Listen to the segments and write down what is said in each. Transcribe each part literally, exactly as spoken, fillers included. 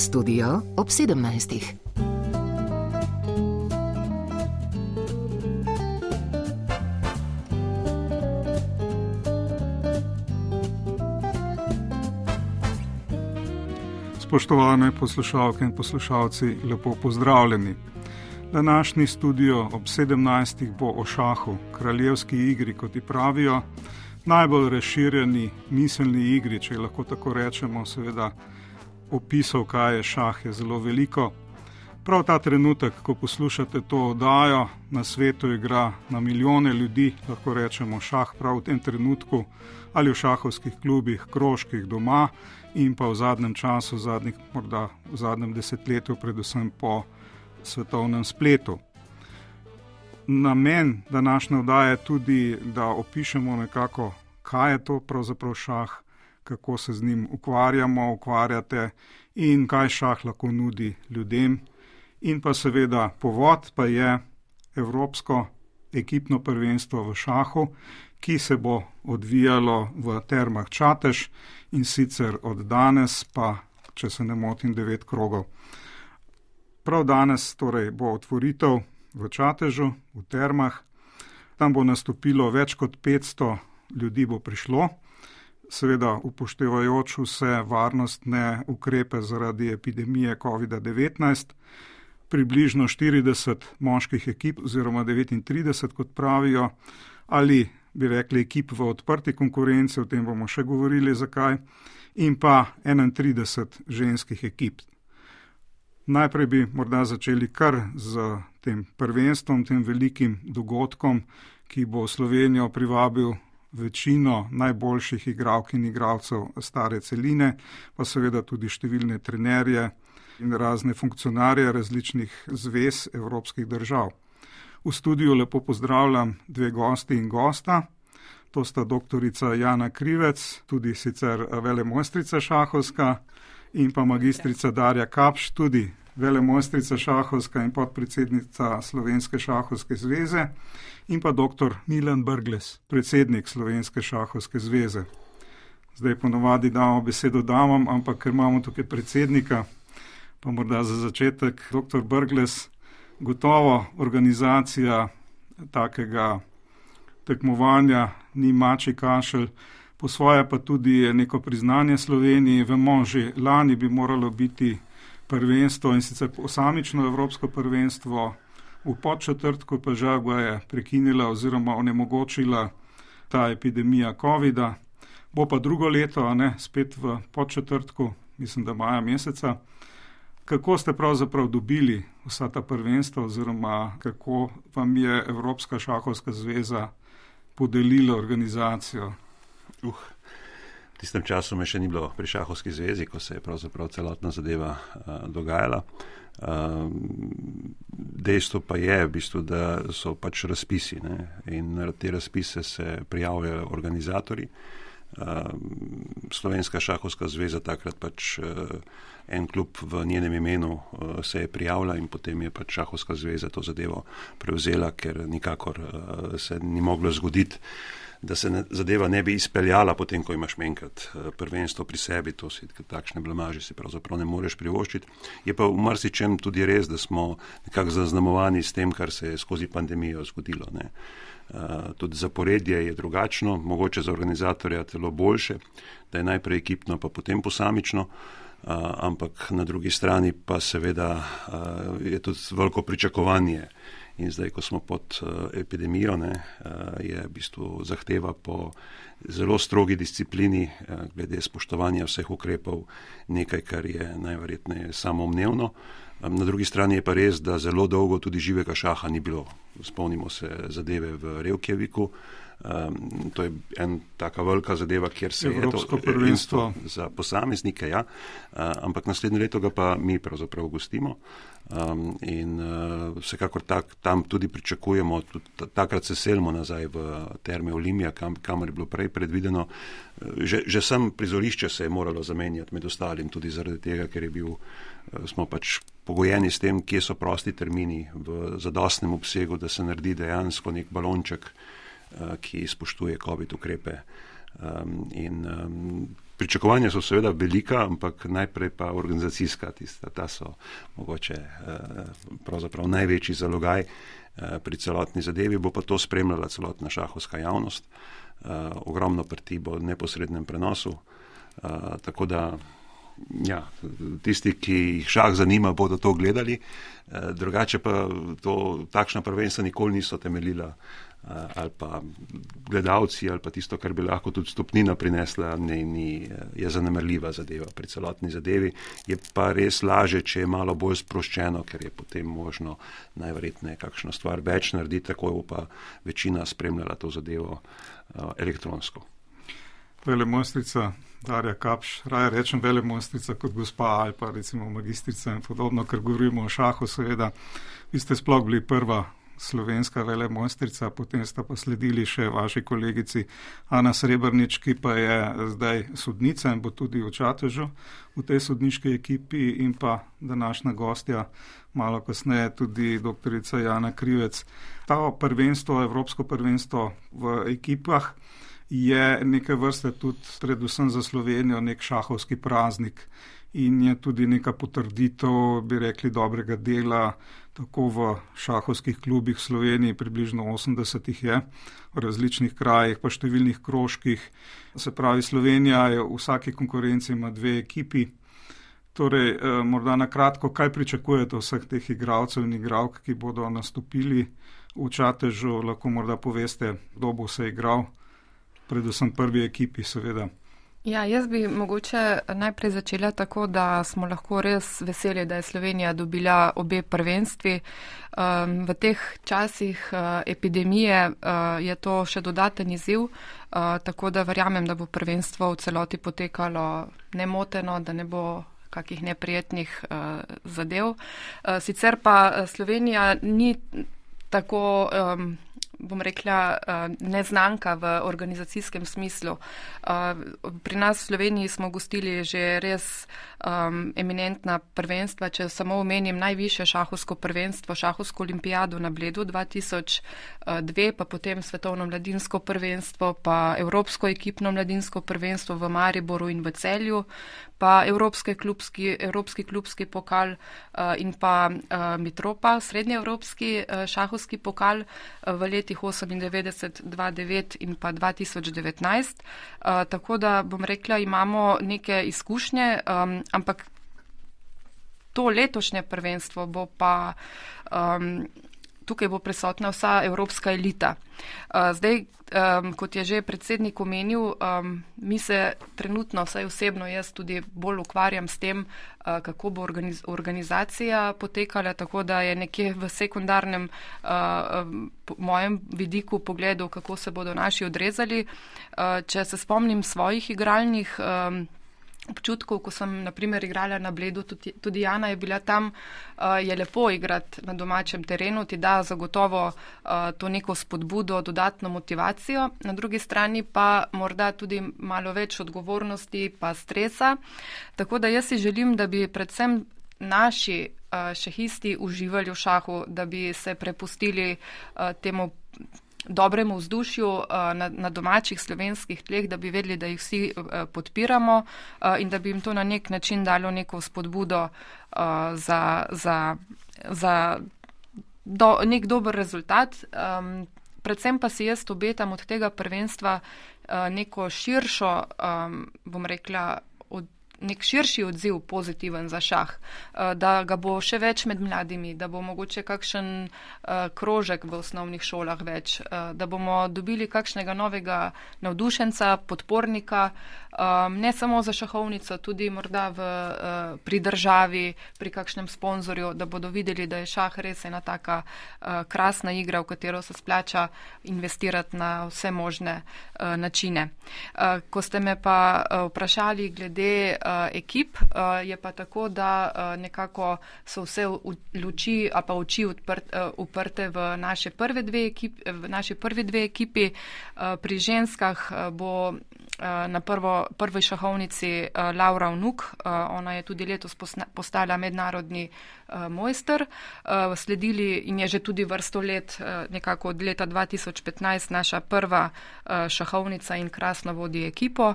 Studio ob sedemnajstih. Spoštovane poslušalke in poslušalci, lepo pozdravljeni. Današnji studio ob sedemnajstih bo o šahu, kraljevski igri, kot ji pravijo, najbolj razširjeni miselni igri, če lahko tako rečemo, seveda opisov, kaj je šah, je zelo veliko. Prav ta trenutek, ko poslušate to oddajo, na svetu igra na milijone ljudi, lahko rečemo šah prav v tem trenutku, ali v šahovskih klubih, krožkih, doma in pa v zadnjem času, zadnjih, morda v zadnjem desetletju, predvsem po svetovnem spletu. Namen današnje oddaje je tudi, da opišemo nekako, kaj je to pravzaprav šah, kako se z njim ukvarjamo, ukvarjate in kaj šah lahko nudi ljudem. In pa seveda povod pa je Evropsko ekipno prvenstvo v šahu, ki se bo odvijalo v Termah Čatež in sicer od danes pa, če se ne motim, devet krogov. Prav danes torej bo otvoritev v Čatežu, v Termah. Tam bo nastopilo več kot petsto ljudi bo prišlo, seveda upoštevajoč vse varnostne ukrepe zaradi epidemije covid devetnajst. Približno štirideset moških ekip oziroma devetintrideset, kot pravijo, ali bi rekli ekip v odprti konkurenci, o tem bomo še govorili zakaj, in pa enaintrideset ženskih ekip. Najprej bi morda začeli kar z tem prvenstvom, tem velikim dogodkom, ki bo Slovenijo privabil večino najboljših igralk in igralcev stare celine, pa seveda tudi številne trenerje in razne funkcionarje različnih zvez evropskih držav. V studiu lepo pozdravljam dve gosti in gosta. To sta doktorica Jana Krivec, tudi sicer velemojstrica šahovska, in pa magistrica Darja Kapš, tudi velemojstrica šahovska in podpredsednica Slovenske šahovske zveze, in pa doktor Milan Brglez, predsednik Slovenske šahovske zveze. Zdaj ponovadi damo besedo damam, ampak ker imamo tukaj predsednika, pa morda za začetek, doktor Brglez, gotovo organizacija takega tekmovanja ni mačji kašelj, po svoje pa tudi neko priznanje Sloveniji. Vemo, že lani bi moralo biti prvenstvo in sicer posamično evropsko prvenstvo, v podčetrtku pa žal ga je prekinila oziroma onemogočila ta epidemija covida. Bo pa drugo leto, a ne, spet v podčetrtku, mislim, da maja meseca. Kako ste pravzaprav dobili vsa ta prvenstva oziroma kako vam je Evropska šahovska zveza podelila organizacijo? Uh, v tistem času me še ni bilo pri šahovski zvezi, ko se je pravzaprav celotna zadeva uh, dogajala. Uh, dejstvo pa je, v bistvu, da so pač razpisi, ne? In na te razpise se prijavljajo organizatorji. Uh, Slovenska šahovska zveza takrat pač uh, en klub v njenem imenu uh, se je prijavila in potem je pač šahovska zveza to zadevo prevzela, ker nikakor uh, se ni moglo zgoditi, da se ne, zadeva ne bi izpeljala potem, ko imaš enkrat uh, prvenstvo pri sebi, to si takšne blamaže si pravzaprav ne moreš privoščiti. Je pa v marsičem tudi res, da smo nekako zaznamovani s tem, kar se je skozi pandemijo zgodilo, ne. Uh, tudi zaporedje je drugačno, mogoče za organizatorja celo boljše, da je najprej ekipno, pa potem posamično, uh, ampak na drugi strani pa seveda uh, je tudi veliko pričakovanje. In zdaj, ko smo pod uh, epidemijo, ne, uh, je v bistvu zahteva po zelo strogi disciplini, uh, glede spoštovanja vseh ukrepov, nekaj, kar je najverjetneje samoumevno. Na drugi strani je pa res, da zelo dolgo tudi živega šaha ni bilo. Spomnimo se zadeve v Reykjaviku. Um, to je en taka velika zadeva, kjer se Evropsko je to prvenstvo za posameznike, ja. Uh, ampak naslednje leto ga pa mi pravzaprav gostimo. Um, in uh, vsekakor tak, tam tudi pričakujemo, tudi takrat se selimo nazaj v Terme Olimia, kam, kamor je bilo prej predvideno. Že, že sam prizorišče se je moralo zamenjati med ostalim, tudi zaradi tega, ker je bil, smo pač pogojeni s tem, kje so prosti termini v zadostnem obsegu, da se naredi dejansko nek balonček, ki spoštuje covid ukrepe. Um, in um, pričakovanja so seveda velika, ampak najprej pa organizacijska tista, ta so mogoče pravzaprav največji zalogaj pri celotni zadevi, bo pa to spremljala celotna šahovska javnost. Ogromno partij bo v neposrednem prenosu, tako da ja, tisti, ki jih šah zanima, bodo to gledali, drugače pa to, takšna prvenstva nikoli niso temeljila ali pa gledalci ali pa tisto, kar bi lahko tudi stopnina prinesla, ne, ni, je zanemarljiva zadeva pri celotni zadevi. Je pa res laže, če je malo bolj sproščeno, ker je potem možno najverjetneje kakšno stvar več narediti, tako bo pa večina spremljala to zadevo uh, elektronsko. Velemojstrica Darja Kapš, raje rečem velemojstrica kot gospa ali pa recimo magistrica in podobno, ker govorimo o šahu, seveda. Vi ste sploh bili prva slovenska velemojstrica, potem sta pa sledili še vaši kolegici Ana Srebrnič, ki pa je zdaj sodnica in bo tudi v Čatežu v tej sodniški ekipi, in pa današnja gostja malo kasneje tudi doktorica Jana Krivec. Ta prvenstvo, evropsko prvenstvo v ekipah je neke vrste tudi predvsem za Slovenijo nek šahovski praznik in je tudi neka potrditev, bi rekli, dobrega dela, tako v šahovskih klubih v Sloveniji, približno osemdesetih je, v različnih krajih, pa številnih krožkih. Se pravi, Slovenija je v vsaki konkurenci ima dve ekipi. Torej, eh, morda na kratko, kaj pričakujete vseh teh igralcev in igralk, ki bodo nastopili v Čatežu, lahko morda poveste, kdo bo se igral, predvsem prvi ekipi, seveda. Ja, jaz bi mogoče najprej začela tako, da smo lahko res veseli, da je Slovenija dobila obe prvenstvi. Um, v teh časih uh, epidemije uh, je to še dodaten izziv, uh, tako da verjamem, da bo prvenstvo v celoti potekalo nemoteno, da ne bo kakih neprijetnih uh, zadev. Uh, sicer pa Slovenija ni tako um, bom rekla, neznanka v organizacijskem smislu. Pri nas v Sloveniji smo gostili že res um, eminentna prvenstva, če samo omenim najvišje šahovsko prvenstvo, šahovsko olimpijado na Bledu dva tisoč dve, pa potem svetovno mladinsko prvenstvo, pa evropsko ekipno mladinsko prvenstvo v Mariboru in v Celju, pa evropski klubski, evropski klubski pokal uh, in pa uh, Mitropa, srednjeevropski uh, šahovski pokal uh, v letih osemindevetdeset, dva tisoč devet in pa dva tisoč devetnajst. Uh, tako da bom rekla, imamo neke izkušnje, um, ampak to letošnje prvenstvo bo pa um, tukaj bo prisotna vsa evropska elita. Uh, zdaj, um, kot je že predsednik omenil, um, mi se trenutno, vsaj osebno jaz tudi bolj ukvarjam s tem, uh, kako bo organiz organizacija potekala, tako da je nekje v sekundarnem uh, po mojem vidiku pogledu, kako se bodo naši odrezali. Uh, če se spomnim svojih igralnih um, občutkov, ko sem naprimer igrala na Bledu, tudi, tudi Jana je bila tam, uh, je lepo igrati na domačem terenu, ti da zagotovo uh, to neko spodbudo, dodatno motivacijo, na drugi strani pa morda tudi malo več odgovornosti pa stresa. Tako da jaz si želim, da bi predvsem naši uh, šahisti uživali v šahu, da bi se prepustili uh, temu dobremu vzdušju na, na domačih slovenskih tleh, da bi vedeli, da jih vsi podpiramo in da bi jim to na nek način dalo neko spodbudo za, za, za do, nek dober rezultat. Predvsem pa si jaz obetam od tega prvenstva neko širšo, bom rekla, nek širši odziv pozitiven za šah, da ga bo še več med mladimi, da bo mogoče kakšen krožek v osnovnih šolah več, da bomo dobili kakšnega novega navdušenca, podpornika, ne samo za šahovnico, tudi morda v, pri državi, pri kakšnem sponzorju, da bodo videli, da je šah res ena taka krasna igra, v katero se splača investirati na vse možne načine. Ko ste me pa vprašali glede ekip, je pa tako, da nekako so vse luči a pa oči uprte v naše prve dve ekipi, v naši prvi dve ekipi. Pri ženskah bo na prvo, prvi šahovnici Laura Vnuk. Ona je tudi letos postala mednarodni mojster. Sledili in je že tudi vrsto let, nekako od leta dva tisoč petnajst, naša prva šahovnica in krasno vodi ekipo.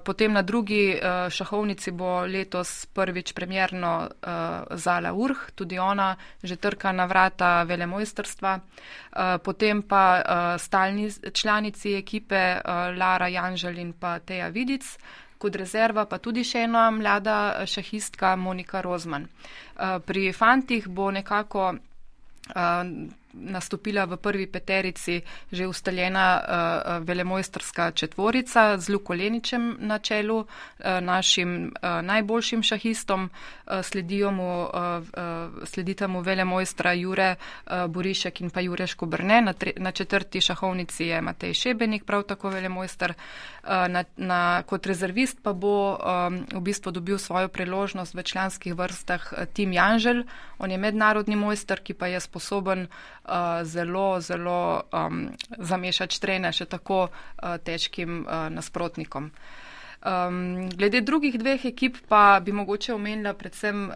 Potem na drugi šahovnici bo letos prvič premjerno Zala Urh, tudi ona že trka na vrata velemojstrstva. Potem pa stalni članici ekipe Lara Janžel in pa Teja Vidic, kot rezerva pa tudi še ena mlada šahistka Monika Rozman. Pri fantih bo nekako nastopila v prvi peterici že ustaljena uh, velemojstrska četvorica z Luko Leničem na čelu, uh, našim uh, najboljšim šahistom. Uh, sledijo mu, uh, uh, sledita mu velemojstra Jure uh, Borišek in pa Jure Škobrne. Na, tre, na četrti šahovnici je Matej Šebenik, prav tako velemojster. Uh, na, na, kot rezervist pa bo um, v bistvu dobil svojo priložnost v članskih vrstah Tim Janžel. On je mednarodni mojster, ki pa je sposoben Uh, zelo, zelo um, zamešati štrene še tako uh, težkim uh, nasprotnikom. Um, glede drugih dveh ekip pa bi mogoče omenila predvsem uh,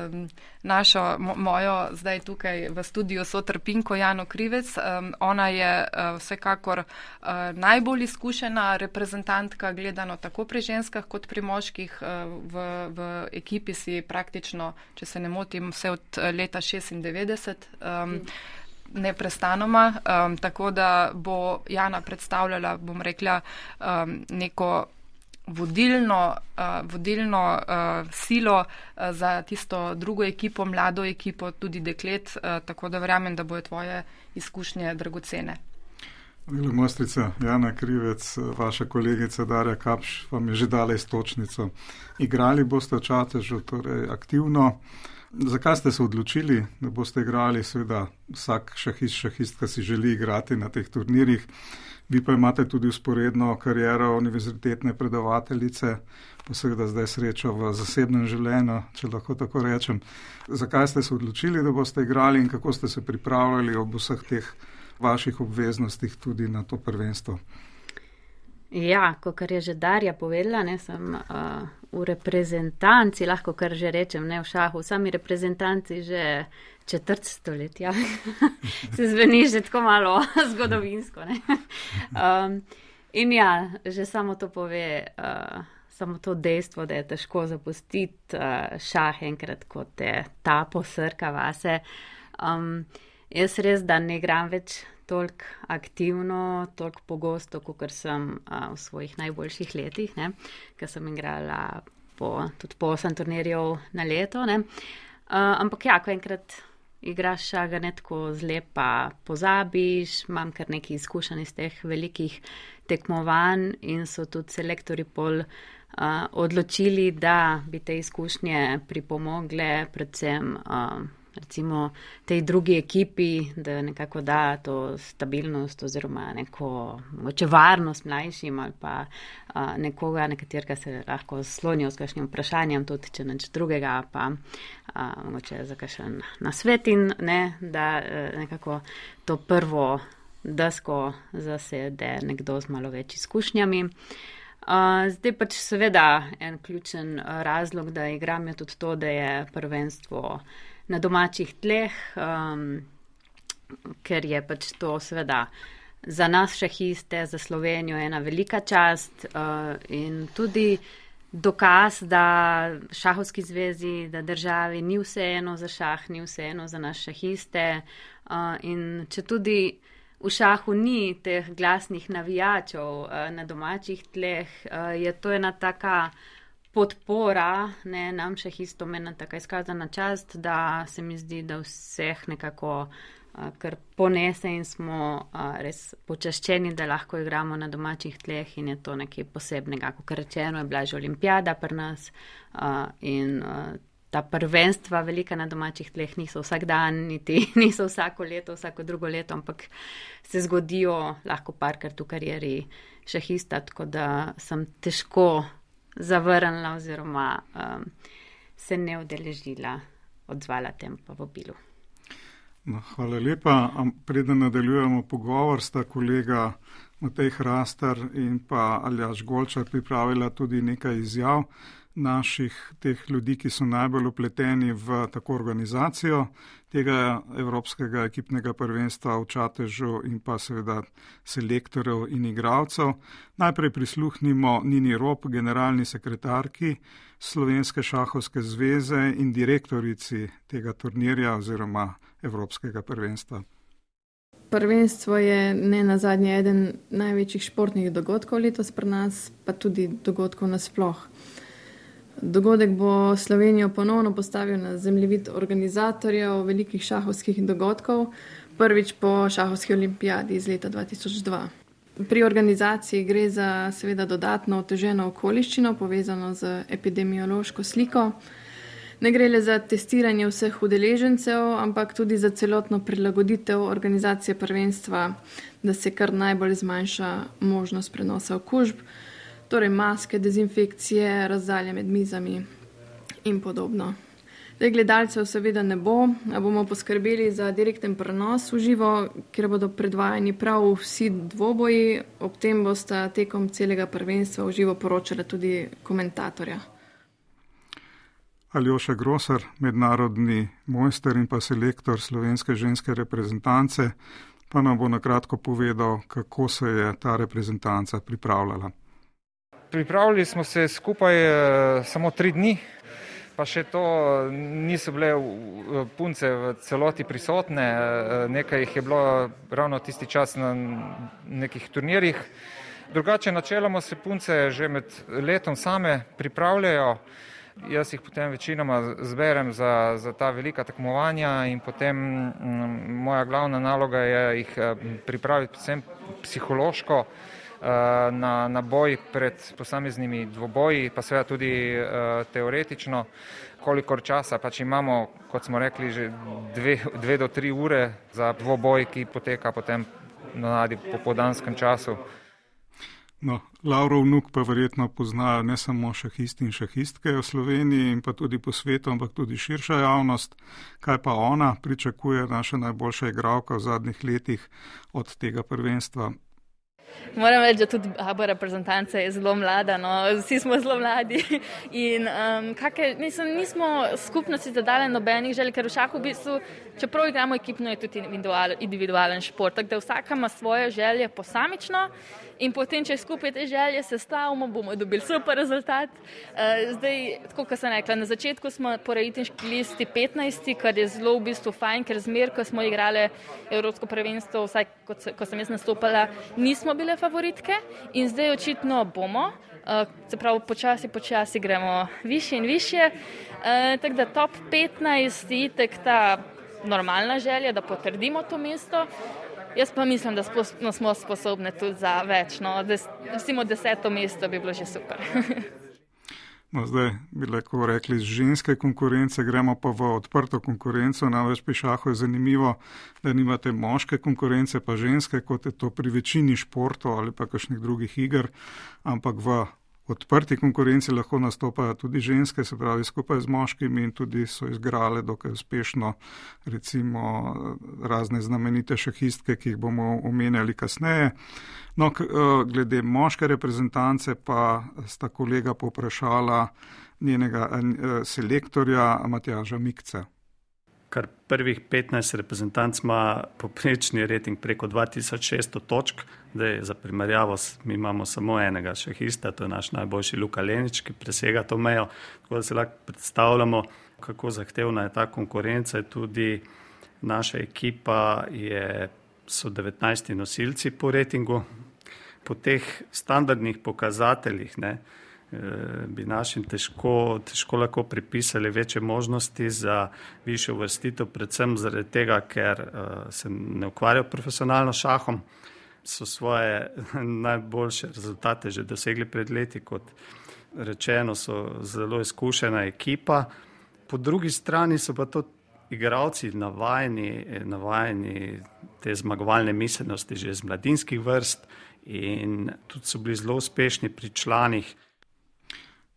um, našo, mo, mojo zdaj tukaj v studiu sotrpinko Jano Krivec. Um, ona je uh, vsekakor uh, najbolj izkušena reprezentantka, gledano tako pri ženskah kot pri moških. Uh, v, v ekipi si praktično, če se ne motim, vse od leta šestindevetdeset. Um, neprestanoma, um, tako da bo Jana predstavljala, bom rekla, um, neko vodilno, uh, vodilno uh, silo uh, za tisto drugo ekipo, mlado ekipo, tudi deklet, uh, tako da verjamem, da bojo tvoje izkušnje dragocene. Velemojstrica Jana Krivec, vaša kolegica Darja Kapš vam je že dala istočnico. Igrali boste v Čatežu, torej aktivno. Zakaj ste se odločili, da boste igrali? Seveda vsak šahist, šahistka si želi igrati na teh turnirjih. Vi pa imate tudi usporedno kariero univerzitetne predavateljice, pa seveda zdaj srečo v zasebnem življenju, če lahko tako rečem. Zakaj ste se odločili, da boste igrali in kako ste se pripravljali ob vseh teh vaših obveznostih tudi na to prvenstvo? Ja, kot je že Darja povedala, ne, sem uh, v reprezentanci, lahko kar že rečem, ne v šahu, sami reprezentanci že četrt stoletja. Se zveni že tako malo zgodovinsko. Ne? Um, in ja, že samo to pove, uh, samo to dejstvo, da je težko zapustiti uh, šah enkrat, ko te ta posrka vase. Um, jaz res, da ne igram več toliko aktivno, toliko pogosto, kot sem uh, v svojih najboljših letih, ne, ker sem igrala po, tudi po osem turnirjev na leto. Ne. Uh, ampak ja, ko enkrat igraš šaga, ne tako zlepa pozabiš, imam kar nekaj izkušenj iz teh velikih tekmovanj in so tudi selektori pol uh, odločili, da bi te izkušnje pripomogle predvsem uh, recimo tej drugi ekipi, da nekako da to stabilnost oziroma neko mogoče varnost mlajšim ali pa a, nekoga, nekaterega se lahko slonijo s kakšnim vprašanjem, tudi če neč drugega, pa a, mogoče za kakšen nasvet in ne, da a, nekako to prvo desko zasede nekdo z malo več izkušnjami. Uh, zdaj pač seveda en ključen razlog, da igram je tudi to, da je prvenstvo na domačih tleh, um, ker je pač to seveda za nas šahiste, za Slovenijo ena velika čast uh, in tudi dokaz, da šahovski zvezi, da državi ni vseeno za šah, ni vseeno za nas šahiste uh, in če tudi v šahu ni teh glasnih navijačev uh, na domačih tleh, uh, je to ena taka podpora, ne, nam šahistom ena taka izkazana čast, da se mi zdi, da vseh nekako uh, kar ponese in smo uh, res počaščeni, da lahko igramo na domačih tleh in je to nekaj posebnega. Kot rečeno, je bila že olimpijada pri nas uh, in uh, ta prvenstva velika na domačih tleh niso vsak dan, niti niso vsako leto, vsako drugo leto, ampak se zgodijo lahko parkrat v karieri šahista, tako da sem težko zavrnila oziroma um, se ne udeležila, odzvala tem povabilu. No, hvala lepa. Preden nadaljujemo pogovor, sta kolega Matej Hrastar in pa Aljaž Golčar pripravila tudi nekaj izjav naših teh ljudi, ki so najbolj upleteni v tako organizacijo tega Evropskega ekipnega prvenstva v Čatežu in pa seveda selektorjev in igralcev. Najprej prisluhnimo Nini Rop, generalni sekretarki Slovenske šahovske zveze in direktorici tega turnirja oziroma Evropskega prvenstva. Prvenstvo je ne nazadnje eden največjih športnih dogodkov letos pri nas, pa tudi dogodkov nasploh. Dogodek bo Slovenijo ponovno postavil na zemljevid organizatorjev velikih šahovskih dogodkov, prvič po šahovski olimpijadi iz leta dva tisoč dva. Pri organizaciji gre za seveda dodatno oteženo okoliščino, povezano z epidemiološko sliko. Ne gre le za testiranje vseh udeležencev, ampak tudi za celotno prilagoditev organizacije prvenstva, da se kar najbolj zmanjša možnost prenosa okužb, torej maske, dezinfekcije, razdalje med mizami in podobno. Zdaj, gledalcev seveda ne bo, a bomo poskrbeli za direkten prenos v živo, kjer bodo predvajani prav vsi dvoboji, ob tem bosta tekom celega prvenstva v živo poročala tudi komentatorja. Aljoša Grosar, mednarodni mojster in pa selektor slovenske ženske reprezentance, pa nam bo nakratko povedal, kako se je ta reprezentanca pripravljala. Pripravili smo se skupaj e, samo tri dni, pa še to niso bile punce v celoti prisotne, e, nekaj jih je bilo ravno tisti čas na nekih turnirjih. Drugače načeloma se punce že med letom same pripravljajo. Jaz jih potem večinoma zberem za, za ta velika tekmovanja in potem m, moja glavna naloga je jih pripraviti predvsem psihološko na, na boj pred posameznimi dvoboji, pa seveda tudi uh, teoretično, kolikor časa pač imamo, kot smo rekli, že dve, dve do tri ure za dvoboj, ki poteka potem na popoldanskem času. No, Lavrov vnuk pa verjetno poznajo ne samo šahisti in šahistke v Sloveniji in pa tudi po svetu, ampak tudi širša javnost. Kaj pa ona pričakuje, naša najboljša igralka v zadnjih letih od tega prvenstva? Moram reči, da tudi A B reprezentanca je zelo mlada, no, vsi smo zelo mladi in um, kakaj, mislim, nismo skupnosti zadale nobenih želj, ker v šahu v bistvu, čeprav igramo ekipno, je tudi individualen, individualen šport, tako da vsaka ima svoje želje posamično in potem, če skupaj te želje sestavimo, bomo dobili super rezultat. Uh, zdaj, tako kot sem rekla, na začetku smo po rejtinški listi petnajsti, kar je zelo v bistvu fajn, ker zmer, ko smo igrali Evropsko prvenstvo, vsaj kot, ko sem jaz nastopala, nismo bile favoritke in zdaj očitno bomo, uh, se pravi počasi, počasi gremo više in više, uh, tako da top petnajst je itak ta normalna želja, da potrdimo to mesto. Jaz pa mislim, da smo sposobni tudi za več, no, recimo deseto mesto bi bilo že super. No, zdaj bi lahko rekli, z ženske konkurence gremo pa v odprto konkurenco, namreč pri šahu je zanimivo, da nimate moške konkurence pa ženske, kot je to pri večini športov ali pa kakšnih drugih iger, ampak v odprti konkurenci lahko nastopajo tudi ženske, se pravi skupaj z moškimi in tudi so izgrale dokaj uspešno recimo razne znamenite šahistke, ki jih bomo omenjali kasneje. No, glede moške reprezentance pa sta kolega povprašala njenega selektorja Matjaža Mikce. Kar prvih petnajst reprezentanc ima poprečni rating preko dva tisoč šeststo točk. Zdaj, za primerjavo, mi imamo samo enega šahista, to je naš najboljši Luka Lenič, ki presega to mejo. Tako da se lahko predstavljamo, kako zahtevna je ta konkurenca. Tudi naša ekipa je, so devetnajsti nosilci po ratingu. Po teh standardnih pokazateljih, ne, bi našim težko, težko lahko pripisali večje možnosti za višjo uvrstitev, predvsem zaradi tega, ker uh, se ne ukvarjajo profesionalno šahom, so svoje najboljše rezultate že dosegli pred leti, kot rečeno, so zelo izkušena ekipa. Po drugi strani so pa to igralci navajeni, navajeni te zmagovalne miselnosti že iz mladinskih vrst in tudi so bili zelo uspešni pri članih.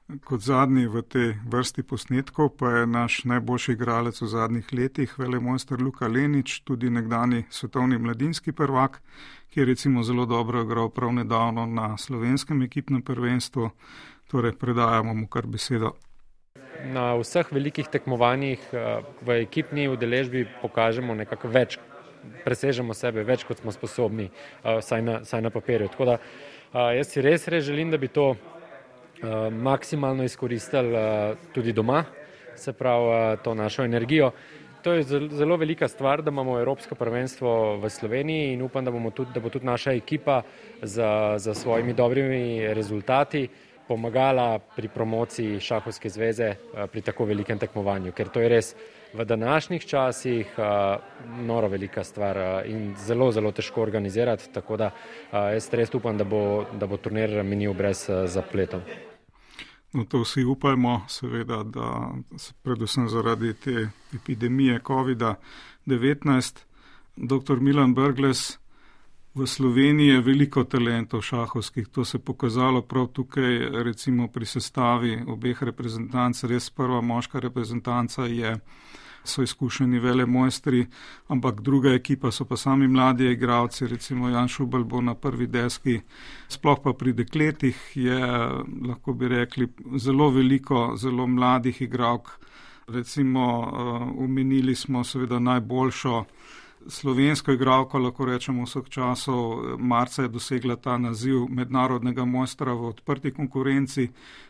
Kot zadnji v tej vrsti posnetkov pa je naš najboljši igralec v zadnjih letih, velemojster Luka Lenič, tudi nekdani svetovni mladinski prvak, ki je recimo zelo dobro igral prav nedavno na slovenskem ekipnem prvenstvu. Torej, predajamo mu kar besedo. Na vseh velikih tekmovanjih v ekipni udeležbi pokažemo nekako več, presežemo sebe več, kot smo sposobni, saj na, saj na papirju. Tako da jaz si res, res želim, da bi to maksimalno izkoristili tudi doma, se pravi to našo energijo. To je zelo velika stvar, da imamo Evropsko prvenstvo v Sloveniji in upam, da, bomo tudi, da bo tudi naša ekipa za, za svojimi dobrimi rezultati pomagala pri promociji Šahovske zveze pri tako velikem tekmovanju, ker to je res v današnjih časih noro velika stvar in zelo, zelo težko organizirati, tako da jaz res upam, da bo, da bo turnir minil brez zapletov. No, to vsi upajmo, seveda, da predvsem zaradi te epidemije kovida devetnajst. Doktor Milan Brglez, v Sloveniji je veliko talentov šahovskih, to se je pokazalo prav tukaj, recimo pri sestavi obeh reprezentanc, res prva moška reprezentanca je, so izkušeni velemojstri, ampak druga ekipa so pa sami mladi igralci, recimo Jan Šubel bo na prvi deski, sploh pa pri dekletih je, lahko bi rekli, zelo veliko, zelo mladih igralk, recimo omenili smo seveda najboljšo slovensko igralko, lahko rečemo vseh časov, marca je dosegla ta naziv mednarodnega mojstra v odprti konkurenci,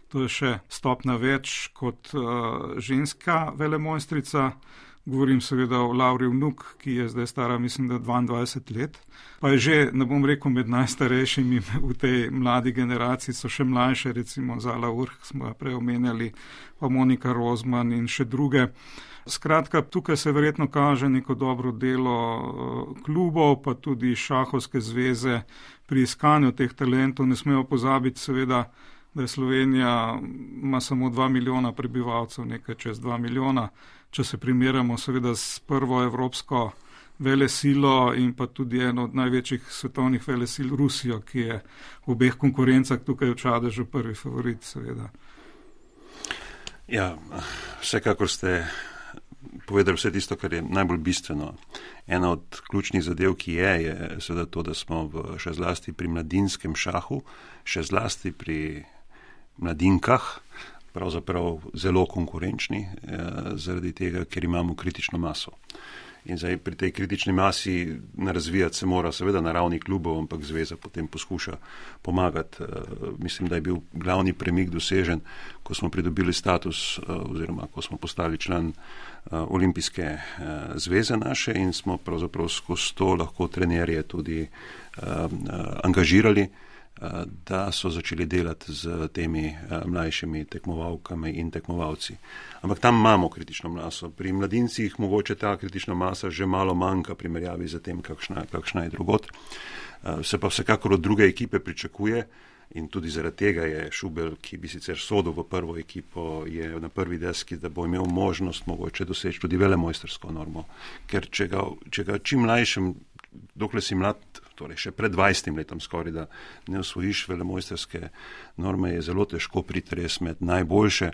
to je še stopna več kot uh, ženska velemojstrica, govorim seveda o Lauri Vnuk, ki je zdaj stara, mislim, da dvaindvajset let, pa je že, ne bom rekel, med najstarejšimi v tej mladi generaciji, so še mlajše, recimo Zala Urh, smo jo prej omenjali, pa Monika Rozman in še druge. Skratka, tukaj se verjetno kaže neko dobro delo klubov, pa tudi Šahovske zveze pri iskanju teh talentov. Ne smemo pozabiti seveda, da je Slovenija ima samo dva milijona prebivalcev, nekaj čez dva milijona. Če se primerjamo seveda s prvo evropsko velesilo in pa tudi eno od največjih svetovnih velesil Rusijo, ki je v obeh konkurencah tukaj v Čadežu prvi favorit seveda. Ja, vsekakor ste povedali vse tisto, kar je najbolj bistveno. Ena od ključnih zadev, ki je, je seveda to, da smo v, še zlasti pri mladinskem šahu, še zlasti pri mladinkah, pravzaprav zelo konkurenčni, eh, zaradi tega, ker imamo kritično maso. In zdaj pri tej kritični masi razvijati se mora seveda na ravni klubov, ampak zveza potem poskuša pomagati. E, mislim, da je bil glavni premik dosežen, ko smo pridobili status e, oziroma ko smo postali član e, olimpijske e, zveze naše in smo pravzaprav skozi to lahko trenerje tudi e, angažirali, da so začeli delati z temi mlajšimi tekmovalkami in tekmovalci. Ampak tam imamo kritično maso. Pri mladincih mogoče ta kritična masa že malo manjka primerjavi z tem, kakšna, kakšna je drugot. Se pa vsekakor od druge ekipe pričakuje in tudi zaradi tega je Šubel, ki bi sicer sodil v prvo ekipo, je na prvi deski, da bo imel možnost mogoče doseči tudi velemojstrsko normo. Ker če ga, če ga čim mlajšem, dokler si mlad, torej še pred dvajsetim letom skoraj, da ne osvojiš velemojstrske norme, je zelo težko priti res med najboljše.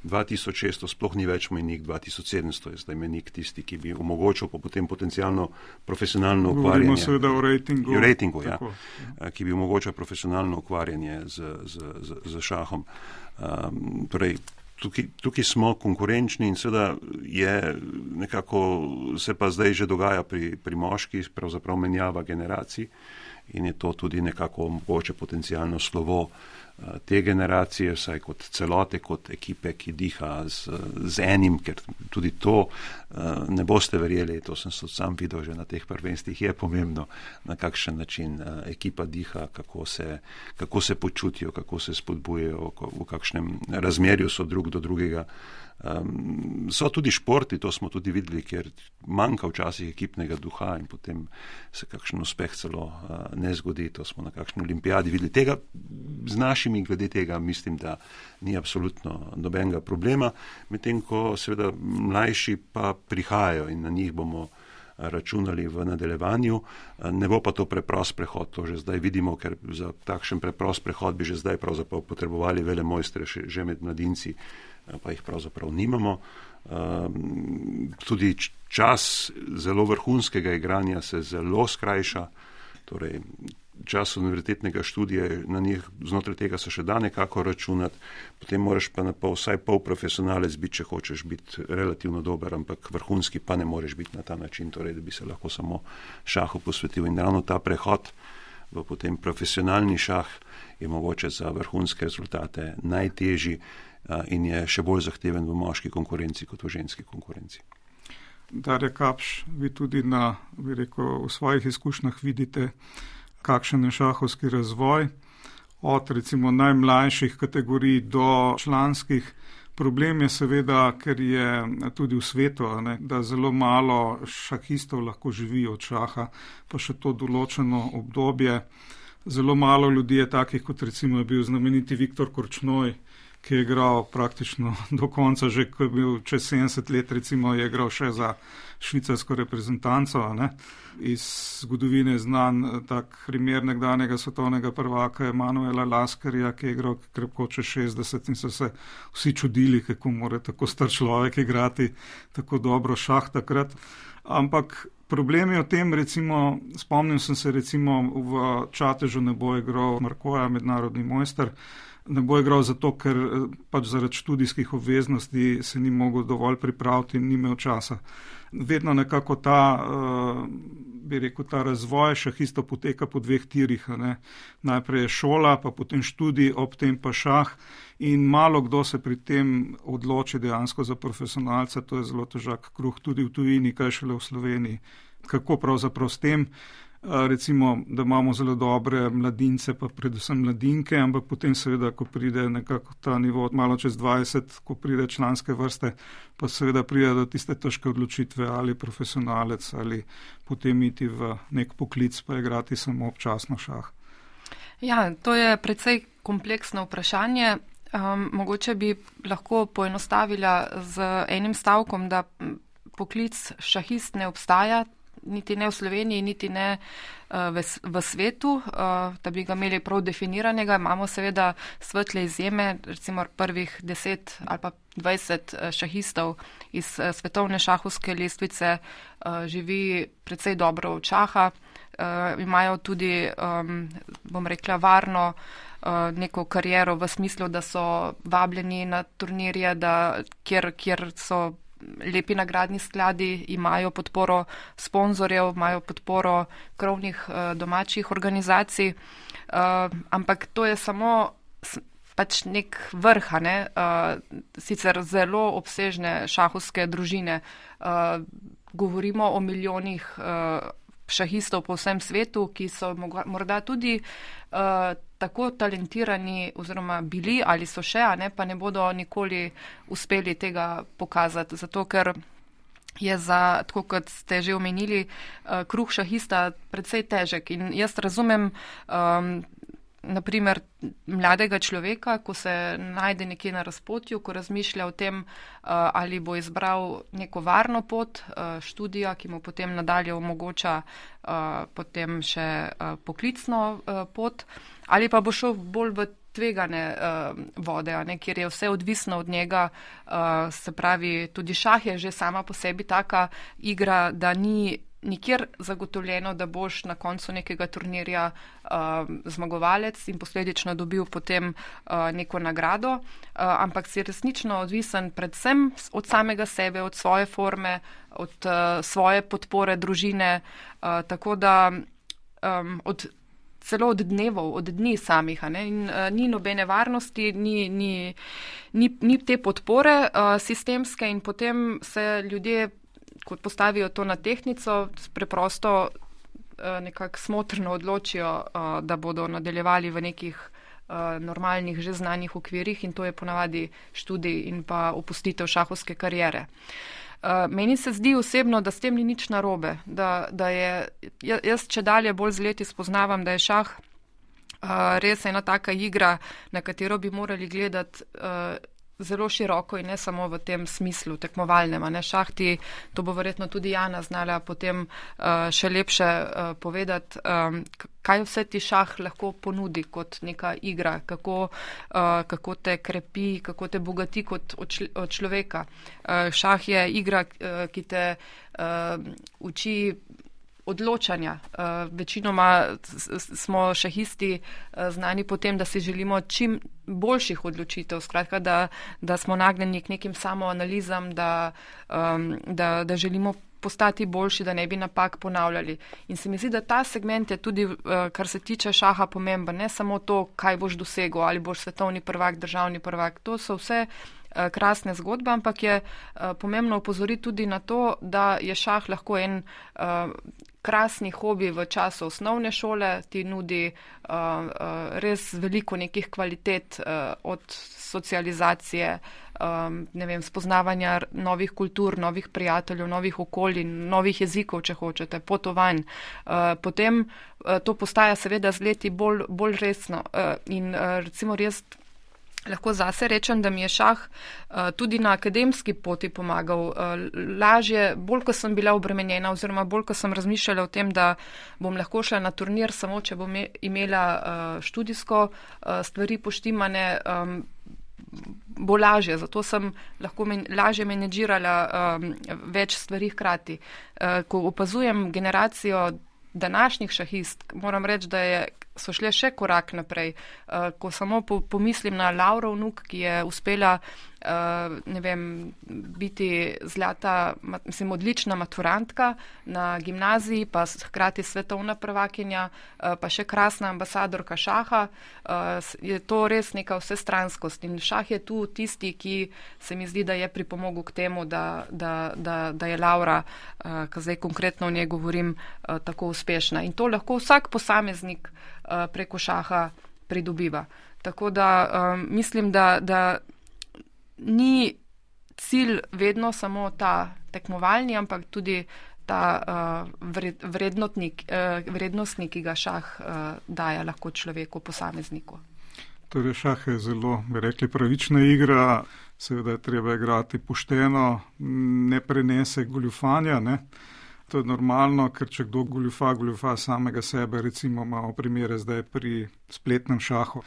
dva tisoč šeststo sploh ni več mejnik, dva tisoč sedemsto je zdaj mejnik tisti, ki bi omogočil pa potem potencialno profesionalno ukvarjanje. Govorimo seveda o rejtingu. O rejtingu, ja. Ki bi omogočil profesionalno ukvarjanje z, z, z, z šahom. Um, torej, Tukaj, tukaj smo konkurenčni in seveda je nekako, se pa zdaj že dogaja pri, pri moških, pravzaprav menjava generacij in je to tudi nekako mogoče potencialno slovo te generacije, vsaj kot celote, kot ekipe, ki diha z, z enim, ker tudi to ne boste verjeli, to sem se sam videl že na teh prvenstvih, je pomembno, na kakšen način ekipa diha, kako se, kako se počutijo, kako se spodbujejo, v kakšnem razmerju so drug do drugega. Um, so tudi športi, to smo tudi videli, ker manjka včasih ekipnega duha in potem se kakšen uspeh celo uh, ne zgodi, to smo na kakšni olimpijadi videli. Tega, z našimi glede tega mislim, da ni absolutno nobenega problema, medtem ko seveda mlajši pa prihajajo in na njih bomo računali v nadaljevanju. Ne bo pa to preprost prehod, to že zdaj vidimo, ker za takšen preprost prehod bi že zdaj pravzaprav potrebovali velemojstre že med mladinci, pa jih pravzaprav nimamo. Tudi čas zelo vrhunskega igranja se zelo skrajša, torej čas univerzitetnega študija, na njih znotraj tega se še da nekako računati, potem moraš pa na pol, vsaj pol profesionalec biti, če hočeš biti relativno dober, ampak vrhunski pa ne moreš biti na ta način, torej da bi se lahko samo šahu posvetil. In ravno ta prehod v potem profesionalni šah je mogoče za vrhunske rezultate najtežji in je še bolj zahteven v moški konkurenci kot v ženski konkurenci. Darja Kapš, vi tudi na, bi rekel, v svojih izkušnjah vidite, kakšen je šahovski razvoj, od recimo najmlajših kategorij do članskih. Problem je seveda, ker je tudi v svetu, ne, da zelo malo šahistov lahko živi od šaha, pa še to določeno obdobje. Zelo malo ljudi je takih, kot recimo je bil znameniti Viktor Korčnoj, ki je igral praktično do konca, že ko je bil čez sedemdeset let, recimo je igral še za švicarsko reprezentanco. Ne. Iz zgodovine znan tak primer nekdanjega svetovnega prvaka Emanuela Laskarja, ki je igral krepko čez šestdeset in so se vsi čudili, kako mora tako star človek igrati tako dobro šah takrat. Ampak problem je v tem, recimo, spomnim sem se recimo v Čatežu ne bo igral Markoja, mednarodni mojster, ne bo igral zato, ker pač zaradi študijskih obveznosti se ni mogel dovolj pripraviti in ni imel časa. Vedno nekako ta, bi rekel, ta razvoj šahistov poteka po dveh tirih. Ne. Najprej je šola, pa potem študij, ob tem pa šah in malo kdo se pri tem odloči dejansko za profesionalca, to je zelo težak kruh tudi v tujini, kaj šele v Sloveniji. Kako pravzaprav s tem? Recimo, da imamo zelo dobre mladince, pa predvsem mladinke, ampak potem seveda, ko pride nekako ta nivo malo čez dvajset, ko pride članske vrste, pa seveda pride do tiste težke odločitve, ali profesionalec, ali potem iti v nek poklic, pa igrati samo občasno šah. Ja, to je precej kompleksno vprašanje. Um, mogoče bi lahko poenostavila z enim stavkom, da poklic šahist ne obstaja, niti ne v Sloveniji, niti ne uh, v, v svetu, uh, da bi ga imeli prav definiranega. Imamo seveda svetle izjeme, recimo prvih deset ali pa dvajset šahistov iz uh, svetovne šahovske lestvice uh, živi precej dobro od šaha, uh, imajo tudi, um, bom rekla, varno uh, neko kariero v smislu, da so vabljeni na turnirje, da, kjer, kjer so lepi nagradni skladi, imajo podporo sponzorjev, imajo podporo krovnih uh, domačih organizacij, uh, ampak to je samo pač nek vrh, ne? uh, sicer zelo obsežne šahovske družine. Uh, govorimo o milijonih uh, šahistov po vsem svetu, ki so morda tudi uh, tako talentirani oziroma bili ali so še, a ne, pa ne bodo nikoli uspeli tega pokazati, zato ker je za, tako kot ste že omenili, uh, kruh šahista precej težek. In jaz razumem um, naprimer mladega človeka, ko se najde nekje na razpotju, ko razmišlja o tem, uh, ali bo izbral neko varno pot uh, študija, ki mu potem nadalje omogoča uh, potem še uh, poklicno uh, pot, ali pa bo šel bolj v tvegane uh, vode, ne, kjer je vse odvisno od njega, uh, se pravi, tudi šah je že sama po sebi taka igra, da ni nikjer zagotovljeno, da boš na koncu nekega turnirja uh, zmagovalec in posledično dobil potem uh, neko nagrado, uh, ampak si resnično odvisen predvsem od samega sebe, od svoje forme, od uh, svoje podpore družine, uh, tako da um, od celo od dnevov, od dni samih, a ne, in uh, ni nobene varnosti, ni, ni, ni, ni te podpore uh, sistemske in potem se ljudje, ko postavijo to na tehtnico, preprosto uh, nekako smotrno odločijo, uh, da bodo nadaljevali v nekih uh, normalnih, že znanih okvirih in to je ponavadi študij in pa opustitev šahovske kariere. Uh, meni se zdi osebno, da s tem ni nič narobe, da, da je, jaz če dalje bolj z leti spoznavam, da je šah uh, res ena taka igra, na katero bi morali gledati uh, zelo široko in ne samo v tem smislu tekmovalnem. Ne? Šah ti, to bo verjetno tudi Jana znala potem uh, še lepše uh, povedati, um, kaj vse ti šah lahko ponudi kot neka igra, kako, uh, kako te krepi, kako te bogati kot od, čl- od človeka. Uh, šah je igra, uh, ki te uh, uči odločanja. Uh, večinoma smo šahisti uh, znani po tem, da si želimo čim boljših odločitev, skratka, da, da smo nagnjeni k nekim samoanalizam, da, um, da, da želimo postati boljši, da ne bi napak ponavljali. In se mi zdi, da ta segment je tudi, uh, kar se tiče šaha, pomemben. Ne samo to, kaj boš dosegel, ali boš svetovni prvak, državni prvak. To so vse uh, krasne zgodbe, ampak je uh, pomembno opozoriti tudi na to, da je šah lahko en uh, krasni hobi v času osnovne šole, ti nudi uh, uh, res veliko nekih kvalitet uh, od socializacije, um, ne vem, spoznavanja novih kultur, novih prijateljev, novih okolij, novih jezikov, če hočete, potovanj. Uh, potem uh, to postaja seveda z leti bolj, bolj resno uh, in uh, recimo res lahko zase rečem, da mi je šah uh, tudi na akademski poti pomagal uh, lažje, bolj ko sem bila obremenjena oziroma bolj ko sem razmišljala o tem, da bom lahko šla na turnir samo, če bom imela uh, študijsko uh, stvari poštimane, um, bo lažje. Zato sem lahko men, lažje menedžirala um, več stvari hkrati. Uh, ko opazujem generacijo današnjih šahist, moram reči, da je so šle še korak naprej. Uh, ko samo po, pomislim na Lauro vnuk, ki je uspela uh, ne vem, biti zlata, mislim, odlična maturantka na gimnaziji, pa hkrati svetovna prvakinja, uh, pa še krasna ambasadorka šaha, uh, je to res neka vsestranskost. In šah je tu tisti, ki se mi zdi, da je pripomogel k temu, da, da, da, da je Laura, uh, ko zdaj konkretno o njej govorim, uh, tako uspešna. In to lahko vsak posameznik preko šaha pridobiva. Tako da um, mislim, da, da ni cilj vedno samo ta tekmovalni, ampak tudi ta uh, vred, vrednotnik, uh, vrednostnik, ki ga šah uh, daje lahko človeku, posamezniku. Torej šah je zelo, bi rekli, pravična igra, seveda je treba igrati pošteno, ne prenese goljufanja, ne. To je normalno, ker če kdo goljufa, goljufa samega sebe, recimo imamo primere zdaj pri spletnem šahu,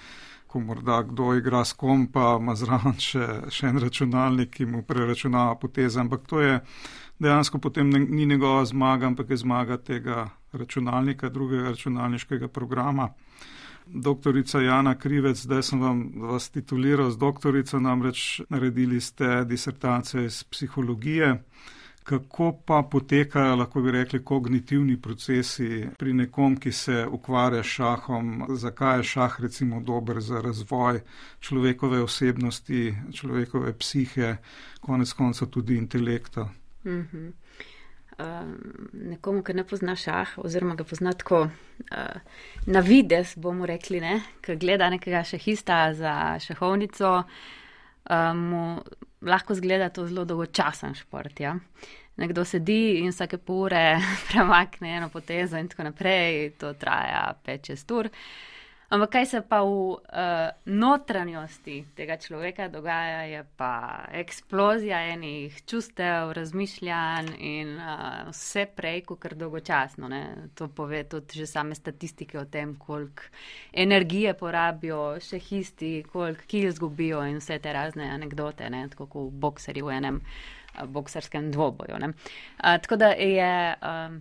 ko morda kdo igra s kom, pa ima zraven še, še en računalnik, ki mu preračunava poteze, ampak to je dejansko potem ne, ni njegova zmaga, ampak je zmaga tega računalnika, drugega računalniškega programa. Doktorica Jana Krivec, zdaj sem vam vas tituliral z doktorico, namreč naredili ste disertacijo iz psihologije. Kako pa potekajo, lahko bi rekli, kognitivni procesi pri nekom, ki se ukvarja s šahom? Zakaj je šah recimo dober za razvoj človekove osebnosti, človekove psihe, konec konca tudi intelekta? Mm-hmm. Uh, nekomu, ki ne pozna šah, oziroma ga pozna tako uh, na vides, bomo rekli, ne, ki gleda nekega šahista za šahovnico, uh, mu lahko zgleda to zelo dolgočasen šport, ja. Nekdo sedi in vsake pol ure premakne eno potezo in tako naprej, to traja pet šest ur. Ampak kaj se pa v uh, notranjosti tega človeka dogaja, je pa eksplozija enih čustev, razmišljanj in uh, vse prej, kakor dolgočasno. Ne? To pove tudi že same statistike o tem, koliko energije porabijo šahisti, koliko kil izgubijo in vse te razne anekdote, ne? Tako kot bokserji v enem uh, bokserskem dvoboju. Ne? Uh, tako da je... Um,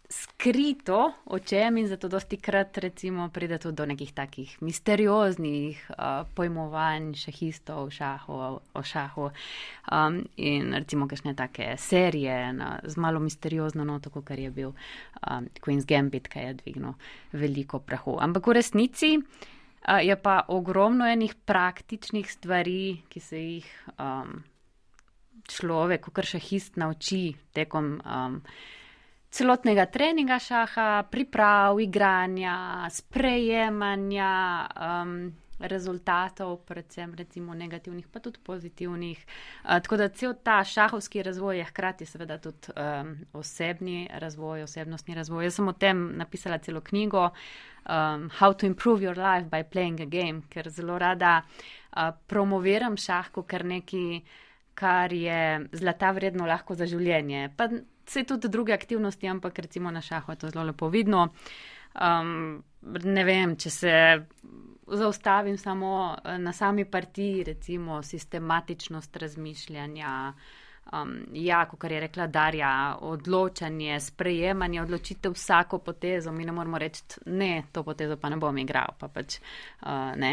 skrito o čem in zato dosti krat recimo pride tudi do nekih takih misterioznih uh, pojmovanj šahistov šahu, o šahu um, in recimo kakšne take serije na, z malo misteriozno noto, kar je bil um, Queen's Gambit, ki je dvignil veliko prahu. Ampak v resnici uh, je pa ogromno enih praktičnih stvari, ki se jih um, človek, kar šahist nauči tekom um, celotnega treninga šaha, priprav, igranja, sprejemanja, um, rezultatov, predvsem recimo negativnih, pa tudi pozitivnih. Uh, tako da cel ta šahovski razvoj je hkrati seveda tudi um, osebni razvoj, osebnostni razvoj. Jaz sem o tem napisala celo knjigo um, How to improve your life by playing a game, ker zelo rada uh, promoviram šah kot kar neki, kar je zlata vredno lahko za življenje. Pa se tudi druge aktivnosti, ampak recimo na šahu je to zelo lepo vidno. Um, ne vem, če se zaustavim samo na sami partiji, recimo sistematičnost razmišljanja, um, ja, kot je rekla Darja, odločanje, sprejemanje, odločitev vsako potezo, mi ne moramo reči, ne, to potezo pa ne bom igral, pa pač uh, ne,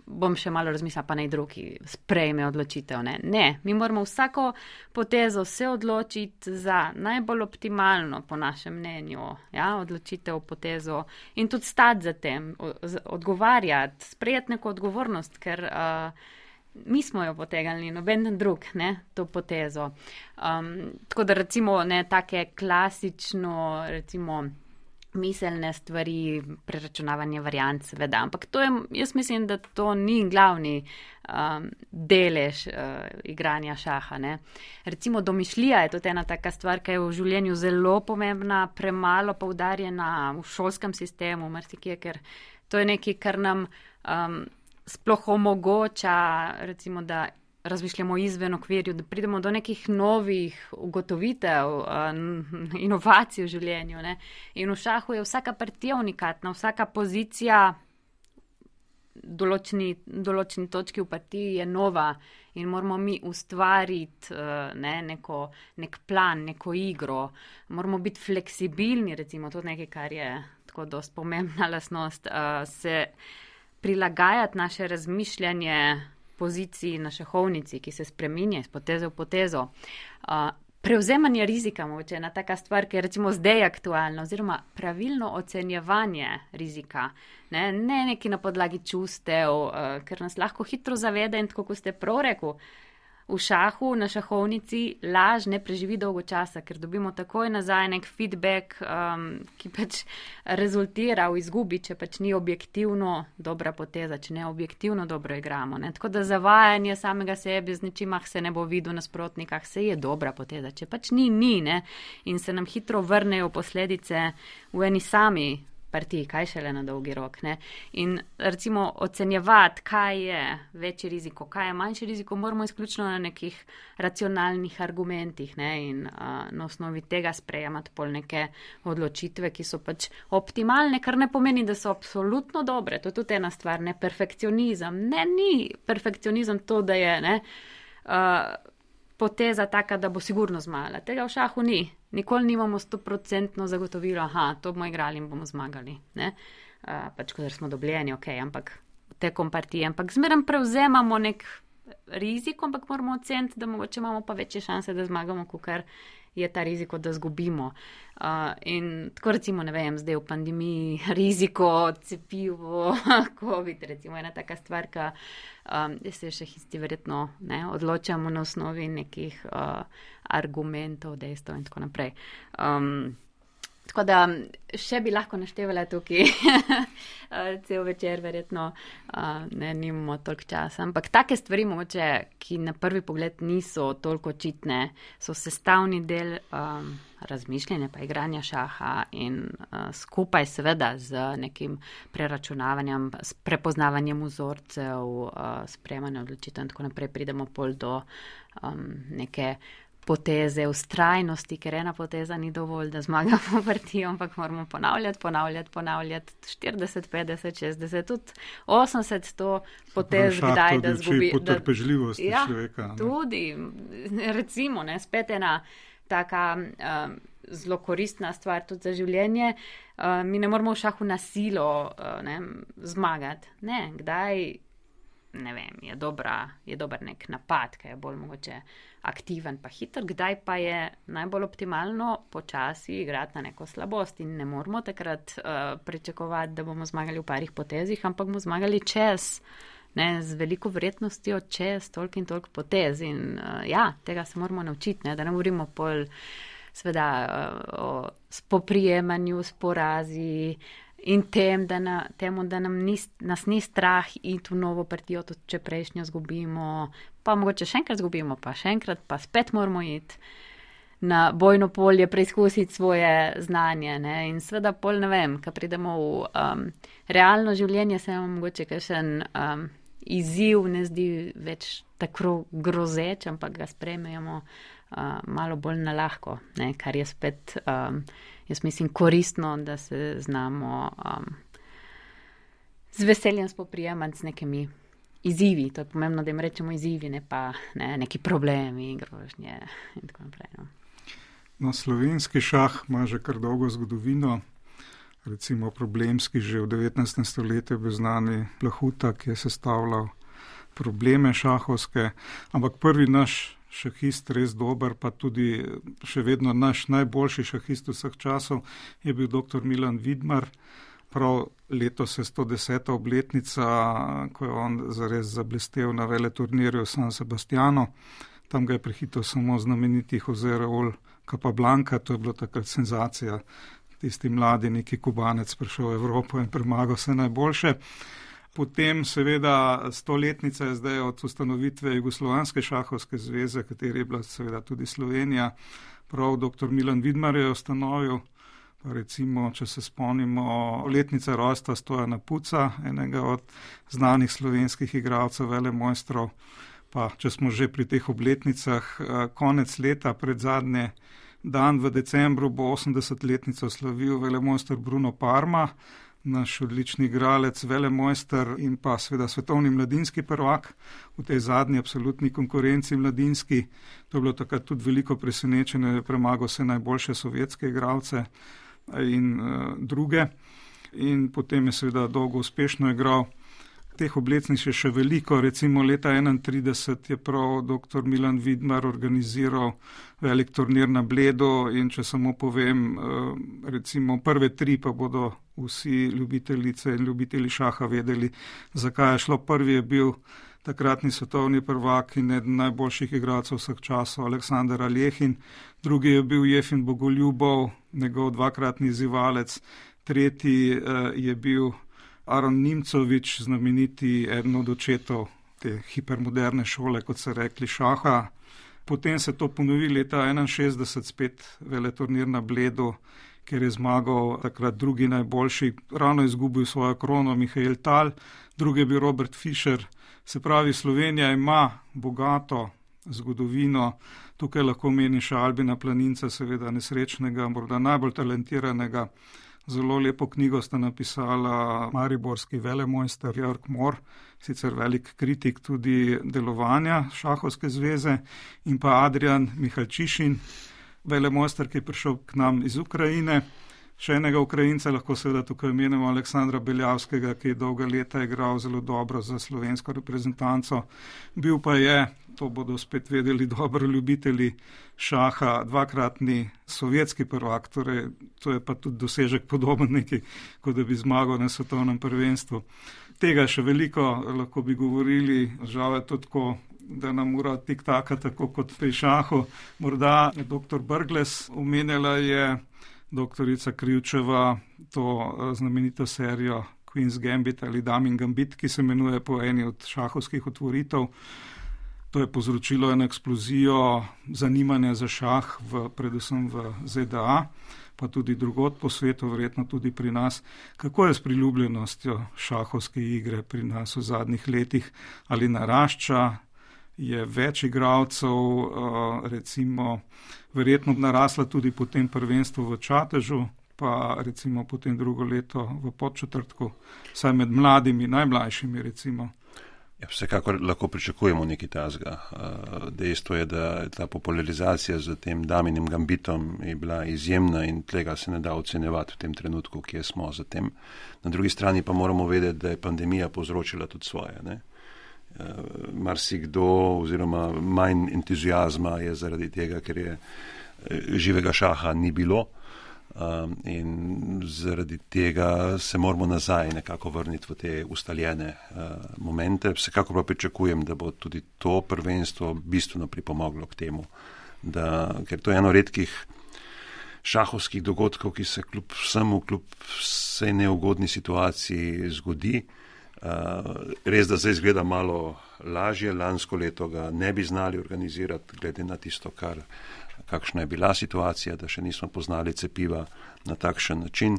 bom še malo razmislila, pa naj drugi sprejme odločitev, ne, ne, mi moramo vsako potezo se odločiti za najbolj optimalno, po našem mnenju, ja, odločitev, potezo in tudi stati za tem, odgovarjati, sprejeti neko odgovornost, ker uh, mi smo jo potegali, noben drug, ne, to potezo. Um, tako da recimo, ne, take klasično, recimo, miselne stvari, preračunavanje variant, seveda, ampak to je, jaz mislim, da to ni glavni um, delež uh, igranja šaha, ne. Recimo, domišljija je tudi ena taka stvar, ki je v življenju zelo pomembna, premalo poudarjena v šolskem sistemu, marsikje, ker to je nekaj, kar nam um, sploh omogoča, recimo, da razmišljamo izven okvirju, da pridemo do nekih novih ugotovitev, inovacij v življenju. Ne? In v šahu je vsaka partija unikatna, vsaka pozicija določeni, določeni točki v partiji je nova in moramo mi ustvariti ne, neko, nek plan, neko igro. Moramo biti fleksibilni, recimo, to nekaj, kar je tako dosti pomembna lastnost, se prilagajati naše razmišljanje poziciji na šahovnici, ki se spreminja iz poteze v potezo. Uh, prevzemanje rizika, mogoče ena taka stvar, ki je recimo zdaj aktualna, oziroma pravilno ocenjevanje rizika. Ne, ne neki na podlagi čustev, uh, ker nas lahko hitro zavede in tako, kot ste prav rekli, v šahu, na šahovnici laž ne preživi dolgo časa, ker dobimo takoj nazaj nek feedback, um, ki pač rezultira v izgubi, če pač ni objektivno dobra poteza, če ne objektivno dobro igramo. Ne? Tako da zavajanje samega sebe z nečimah se ne bo videl nasprotnikah, se je dobra poteza, če pač ni, ni, ne? In se nam hitro vrnejo posledice v eni sami partiji, kaj šele na dolgi rok. Ne? In recimo ocenjevati, kaj je večji riziko, kaj je manjši riziko, moramo izključno na nekih racionalnih argumentih, ne? In uh, na osnovi tega sprejemati pol neke odločitve, ki so pač optimalne, kar ne pomeni, da so absolutno dobre. To je tudi ena stvar, ne perfekcionizem. Ne, ni perfekcionizem to, da je ne, uh, poteza taka, da bo sigurno zmagala. Tega v šahu ni. Nikoli nimamo stoprocentno zagotovilo, aha, to bomo igrali in bomo zmagali. Ne? Uh, pač, ko smo dobljeni, ok, ampak tekom partije. Ampak zmeraj prevzemamo nek rizik, ampak moramo oceniti, da mogoče imamo pa večje šanse, da zmagamo, kukar je ta riziko, da zgubimo. Uh, in tako recimo, ne vem, zdaj v pandemiji riziko, cepivo, COVID, recimo ena taka stvar, ka um, se še histi verjetno ne, odločamo na osnovi nekih uh, argumentov, dejstev in tako naprej. Um, Tako da še bi lahko naštevala tukaj cel večer, verjetno ne, nimamo toliko časa. Ampak take stvari, mogoče, ki na prvi pogled niso toliko očitne, so sestavni del um, razmišljanja pa igranja šaha in uh, skupaj seveda z nekim preračunavanjem, s prepoznavanjem vzorcev, uh, sprejemanjem odločitev in tako naprej pridemo pol do um, neke poteze, ustrajnosti, ker ena poteza ni dovolj, da zmagamo partijo, ampak moramo ponavljati, ponavljati, ponavljati štirideset, petdeset, šestdeset, tudi osemdeset, sto potez, kdaj da zgubi. Potrpežljivost ja, človeka. Ne? Tudi, recimo, ne, spet ena taka um, zelo koristna stvar tudi za življenje. Uh, mi ne moramo v šahu na silo uh, ne, zmagati. Ne, kdaj, ne vem, je, dobra, je dober nek napad, ki je bolj mogoče aktiven pa hiter, kdaj pa je najbolj optimalno počasi igrati na neko slabost in ne moramo takrat uh, pričakovati, da bomo zmagali v parih potezih, ampak bomo zmagali čez, ne, z veliko verjetnostjo čez toliko in toliko potez in uh, ja, tega se moramo naučiti, ne, da ne govorimo pol seveda uh, o spoprijemanju s porazi in tem, da na, temu, da nam ni, nas ni strah iti v novo partijo, tudi če prejšnjo zgubimo, pa mogoče še enkrat zgubimo, pa še enkrat, pa spet moramo iti na bojno polje, preizkusiti svoje znanje. Ne? In seveda pol ne vem, ko pridemo v um, realno življenje, se nam mogoče kakšen um, izziv ne zdi več tako grozeč, ampak ga sprejmemo uh, malo bolj na lahko, ne? Kar je spet, um, jaz mislim, koristno, da se znamo um, z veseljem spoprijemati z nekimi izzivi. To je pomembno, da jim rečemo izzivi, ne pa ne, neki problemi, grožnje in tako naprej. No. No, slovenski šah ima že kar dolgo zgodovino, recimo problemski že v devetnajstem stoletju bil znani Plahuta, ki je sestavljal probleme šahovske, ampak prvi naš šahist, res dober, pa tudi še vedno naš najboljši šahist vseh časov, je bil doktor Milan Vidmar. Prav letos je sto deseta obletnica, ko je on zares zablestel na veleturnirju v San Sebastianu. Tam ga je prehitel samo znameniti Jose Raul Capablanca, to je bilo takrat senzacija. Tisti mladi neki Kubanec prišel v Evropo in premagal vse najboljše. Potem seveda stoletnica je zdaj od ustanovitve Jugoslovanske šahovske zveze, kateri je bila seveda tudi Slovenija. Prav doktor Milan Vidmar je ustanovil, pa recimo, če se spomnimo, letnica rojstva Stojana Puca, enega od znanih slovenskih igralcev, velemojstrov. Pa če smo že pri teh obletnicah, konec leta, pred zadnje dan v decembru bo osemdesetletnico slavil velemojster Bruno Parma, naš odlični igralec, velemojster in pa seveda svetovni mladinski prvak v tej zadnji absolutni konkurenci mladinski. To je bilo takrat tudi veliko presenečenje, da je premagal vse najboljše sovjetske igralce in uh, druge. In potem je seveda dolgo uspešno igral. Teh obletnic je še veliko, recimo leta enaintrideset je prav doktor Milan Vidmar organiziral velik turnir na Bledu in če samo povem, recimo prve tri pa bodo vsi ljubiteljice in ljubitelji šaha vedeli, zakaj je šlo. Prvi je bil takratni svetovni prvak in eden najboljših igralcev vseh časov Aleksandar Aljechin, drugi je bil Jefim Bogoljubov, njegov dvakratni izzivalec, tretji je bil Aron Nimcovič, znameniti eden od očetov te hipermoderne šole, kot se rekli, šaha. Potem se to ponovi leta enainšestdeset, spet veleturnir na Bledu, kjer je zmagal takrat drugi najboljši, ravno izgubil svojo krono Mihael Tal, drugi je bil Robert Fischer. Se pravi, Slovenija ima bogato zgodovino, tukaj lahko meni še Albina Planinca, seveda nesrečnega, morda najbolj talentiranega. Zelo lepo knjigo sta napisala mariborski velemojster Jörg Mor, sicer velik kritik tudi delovanja šahovske zveze, in pa Adrian Mihalčišin, velemojster, ki je prišel k nam iz Ukrajine. Še enega Ukrajinca lahko seveda tukaj imenujemo Aleksandra Beljavskega, ki je dolga leta igral zelo dobro za slovensko reprezentanco. Bil pa je, to bodo spet vedeli dobro ljubitelji šaha, dvakratni sovjetski prvak, torej to je pa tudi dosežek podoben neki, kot da bi zmagal na svetovnem prvenstvu. Tega še veliko lahko bi govorili, žal je to tako, da nam ura tik-taka, tako kot pri šahu. Morda doktor Brglez omenjala je doktorica Krivčeva to znamenito serijo Queen's Gambit ali Damin Gambit, ki se imenuje po eni od šahovskih otvoritev. To je povzročilo eno eksplozijo zanimanja za šah, v, predvsem v Z D A, pa tudi drugod po svetu, verjetno tudi pri nas. Kako je s priljubljenostjo šahovske igre pri nas v zadnjih letih? Ali narašča? Je več igralcev, recimo, verjetno narasla tudi po tem prvenstvu v Čatežu, pa recimo potem drugo leto v Podčetrtku, saj med mladimi, najmlajšimi recimo. Ja, vsekakor lahko pričakujemo nekaj tazga. Dejstvo je, da ta popularizacija z tem Daminim Gambitom je bila izjemna in tega se ne da ocenjevati v tem trenutku, kje smo za tem. Na drugi strani pa moramo vedeti, da je pandemija povzročila tudi svoje, ne? Marsikdo oziroma manj entuzijazma je zaradi tega, ker je živega šaha ni bilo in zaradi tega se moramo nazaj nekako vrniti v te ustaljene momente. Vsekako pa pričakujem, da bo tudi to prvenstvo bistveno pripomoglo k temu, da, ker to je eno redkih šahovskih dogodkov, ki se kljub vsemu, kljub vsej neugodni situaciji zgodi. Res, da zdaj izgleda malo lažje, lansko leto ga ne bi znali organizirati, glede na tisto, kar, kakšna je bila situacija, da še nismo poznali cepiva na takšen način.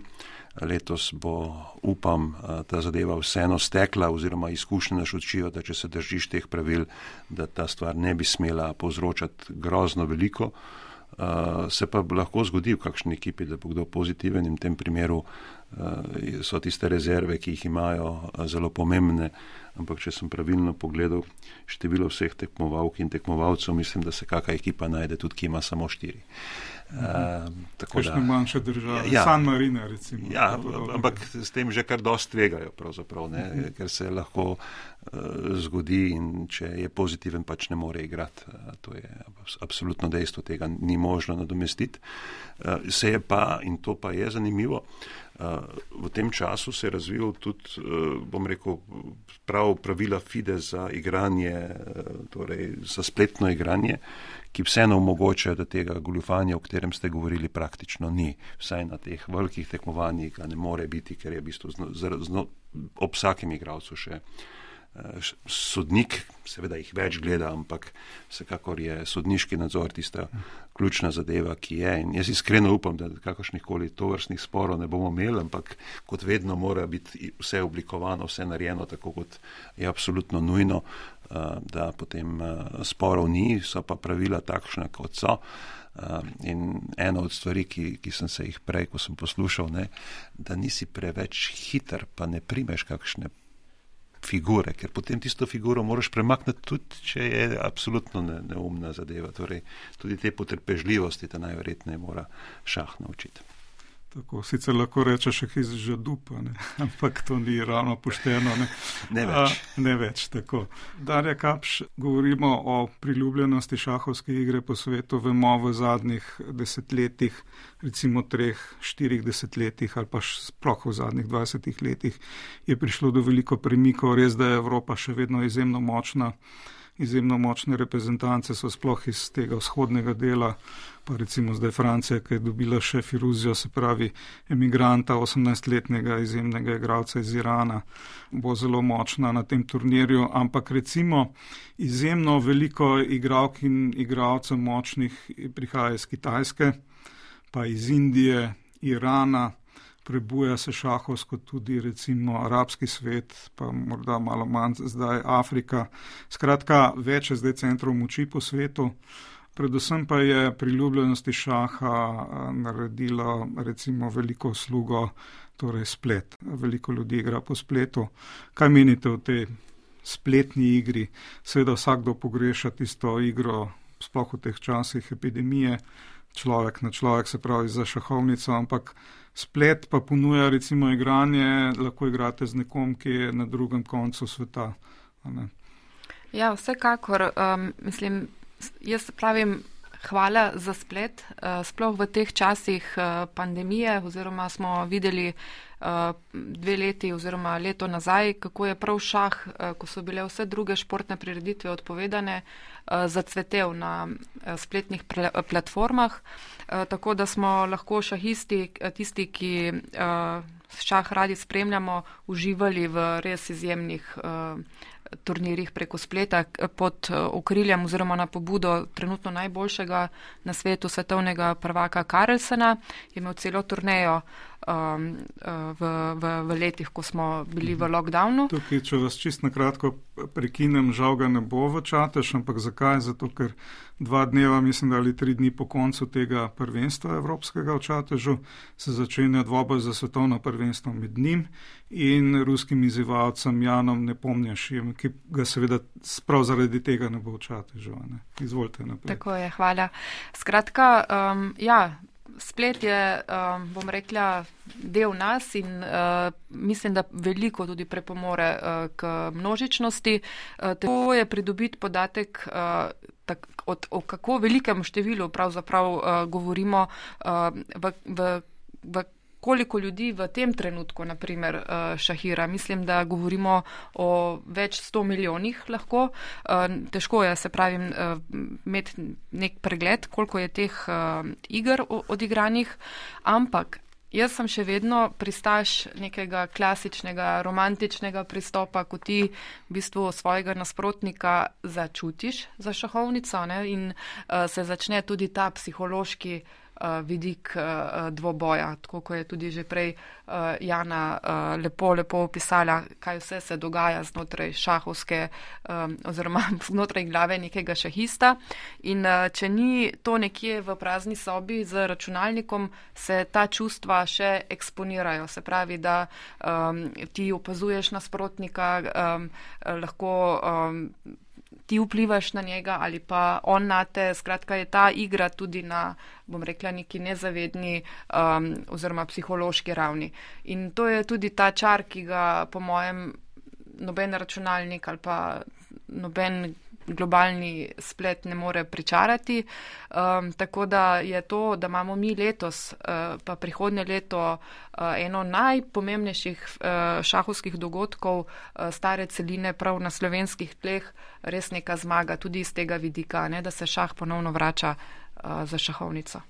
Letos bo, upam, ta zadeva vseeno stekla oziroma izkušnje nas učijo, da če se držiš teh pravil, da ta stvar ne bi smela povzročati grozno veliko. Se pa lahko zgodi v kakšni ekipi, da bo kdo pozitiven in v tem primeru so tiste rezerve, ki jih imajo, zelo pomembne, ampak če sem pravilno pogledal število vseh tekmovalk in tekmovalcev, mislim, da se kakšna ekipa najde tudi, ki ima samo štiri. Uh, Kakšne manjše države, ja, San Marino recimo. Ja, ampak s tem že kar dosti tvegajo pravzaprav, ne, uh-huh. ker se lahko uh, zgodi in če je pozitiven, pač ne more igrati. Uh, to je absolutno dejstvo, tega ni možno nadomestiti. Uh, se je pa, in to pa je zanimivo, uh, v tem času se je razvil tudi, uh, bom rekel, prav pravila FIDE za igranje, uh, torej za spletno igranje, ki vseeno omogočajo, da tega goljufanja, o katerem ste govorili, praktično ni. Vsaj na teh velikih tekmovanjih ga ne more biti, ker je v bistvu zno, zno, ob vsakem igralcu še uh, sodnik, seveda jih več gleda, ampak vsekakor je sodniški nadzor tista ključna zadeva, ki je. In jaz iskreno upam, da kakršnih koli tovrstnih sporov ne bomo imeli, ampak kot vedno mora biti vse oblikovano, vse narejeno tako, kot je absolutno nujno, da potem sporov ni, so pa pravila takšna, kot so. In ena od stvari, ki, ki sem se jih prej, ko sem poslušal, ne, da nisi preveč hiter, pa ne primeš kakšne figure, ker potem tisto figuro moraš premakniti tudi, če je absolutno ne, neumna zadeva. Torej, tudi te potrpežljivosti te najverjetneje mora šah naučiti. Tako, sicer lahko rečeš še iz žadupa, ne? Ampak to ni ravno pošteno. Ne, ne več. A, ne več, tako. Darja Kapš, govorimo o priljubljenosti šahovske igre po svetu, vemo v zadnjih desetletjih, recimo treh, štirih desetletjih ali pa sploh v zadnjih dvajsetih letih je prišlo do veliko premikov, res da je Evropa še vedno izjemno močna. Izjemno močne reprezentance so sploh iz tega vzhodnega dela, pa recimo zdaj Francija, ki je dobila še Firuzijo, se pravi emigranta, osemnajstletnega izjemnega igralca iz Irana, bo zelo močna na tem turnirju, ampak recimo izjemno veliko igralk in igralcev močnih prihaja iz Kitajske, pa iz Indije, Irana, prebuja se šahovsko tudi recimo arabski svet, pa morda malo manj zdaj Afrika. Skratka, več je zdaj centrov moči po svetu. Predvsem pa je priljubljenosti šaha naredilo recimo veliko uslugo, torej splet. Veliko ljudi igra po spletu. Kaj menite o tej spletni igri? Seveda vsakdo pogreša tisto igro, sploh v teh časih epidemije, človek na človek, se pravi za šahovnico, ampak splet pa ponuja recimo igranje, lahko igrate z nekom, ki je na drugem koncu sveta. Ja, vsekakor, um, mislim, jaz pravim hvala za splet, uh, sploh v teh časih uh, pandemije, oziroma smo videli uh, dve leti oziroma leto nazaj, kako je prav šah, uh, ko so bile vse druge športne prireditve odpovedane, uh, zacvetel na uh, spletnih pl- platformah. Tako da smo lahko šahisti, tisti, ki uh, šah radi spremljamo, uživali v res izjemnih uh, turnirjih preko spleta pod uh, okriljem oziroma na pobudo trenutno najboljšega na svetu svetovnega prvaka Carlsena. Je imel celo turnejo um, v, v, v letih, ko smo bili v lockdownu. Tukaj, če vas čist na kratko prekinem, žal ga ne bo v Čatež, ampak zakaj? Zato, ker dva dneva, mislim, da ali tri dni po koncu tega prvenstva evropskega v Čatežu se začenja dvoboj za svetovno prvenstvo med njim in ruskim izzivalcem Janom Nepomnjašijem, ki ga seveda prav zaradi tega ne bo v Čatežu. Ne? Izvolite naprej. Tako je, hvala. Skratka, um, ja, splet je, um, bom rekla, del nas in uh, mislim, da veliko tudi prepomore uh, k množičnosti. Uh, to je pridobiti podatek uh, tak, od, o kako velikem številu pravzaprav uh, govorimo uh, v, v, v koliko ljudi v tem trenutku, naprimer, šahira. Mislim, da govorimo o več sto milijonih lahko. Težko je, se pravim, imeti nek pregled, koliko je teh iger odigranih, ampak jaz sem še vedno pristaš nekega klasičnega, romantičnega pristopa, ko ti v bistvu svojega nasprotnika začutiš za šahovnico, ne, in se začne tudi ta psihološki vidik dvoboja, tako ko je tudi že prej Jana lepo, lepo opisala, kaj vse se dogaja znotraj šahovske oziroma znotraj glave nekega šahista. In če ni to nekje v prazni sobi z računalnikom, se ta čustva še eksponirajo. Se pravi, da um, ti opazuješ nasprotnika, um, lahko um, ti vplivaš na njega ali pa on na te. Skratka, je ta igra tudi na, bom rekla, neki nezavedni um, oziroma psihološki ravni. In to je tudi ta čar, ki ga po mojem noben računalnik ali pa noben globalni splet ne more pričarati. Um, tako da je to, da imamo mi letos, uh, pa prihodnje leto, uh, eno najpomembnejših uh, šahovskih dogodkov uh, stare celine prav na slovenskih tleh, res neka zmaga tudi iz tega vidika, ne, da se šah ponovno vrača uh, za šahovnico.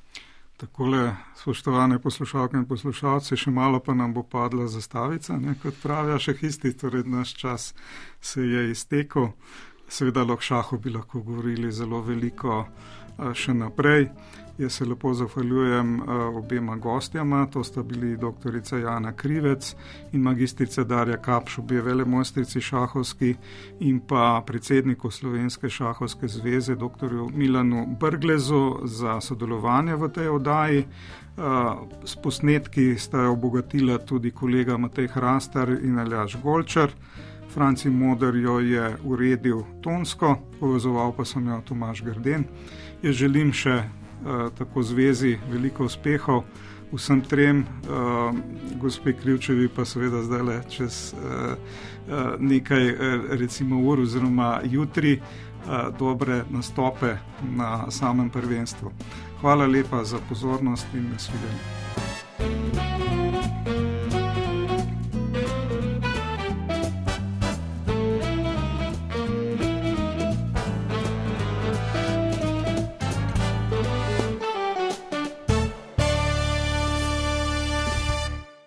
Takole, spoštovane poslušalke in poslušalci, še malo pa nam bo padla zastavica, ne, kot pravijo šahisti, torej naš čas se je iztekel. Seveda o šahu bi lahko govorili zelo veliko še naprej. Jaz se lepo zahvaljujem obema gostjama, to sta bili doktorica Jana Krivec in magistrica Darja Kapš, obe velemojstrici šahovski, in pa predsedniku Slovenske šahovske zveze, doktorju Milanu Brglezu, za sodelovanje v tej oddaji. S posnetki sta jo obogatila tudi kolega Matej Hrastar in Aljaž Golčar. Franci Moder jo je uredil tonsko, povezoval pa sem jo Tomaž Grden. Jaz želim še uh, tako zvezi veliko uspehov vsem trem, uh, gospe Krivčevi pa seveda zdajle čez uh, uh, nekaj uh, recimo ur oziroma jutri uh, dobre nastope na samem prvenstvu. Hvala lepa za pozornost in nasvidenje.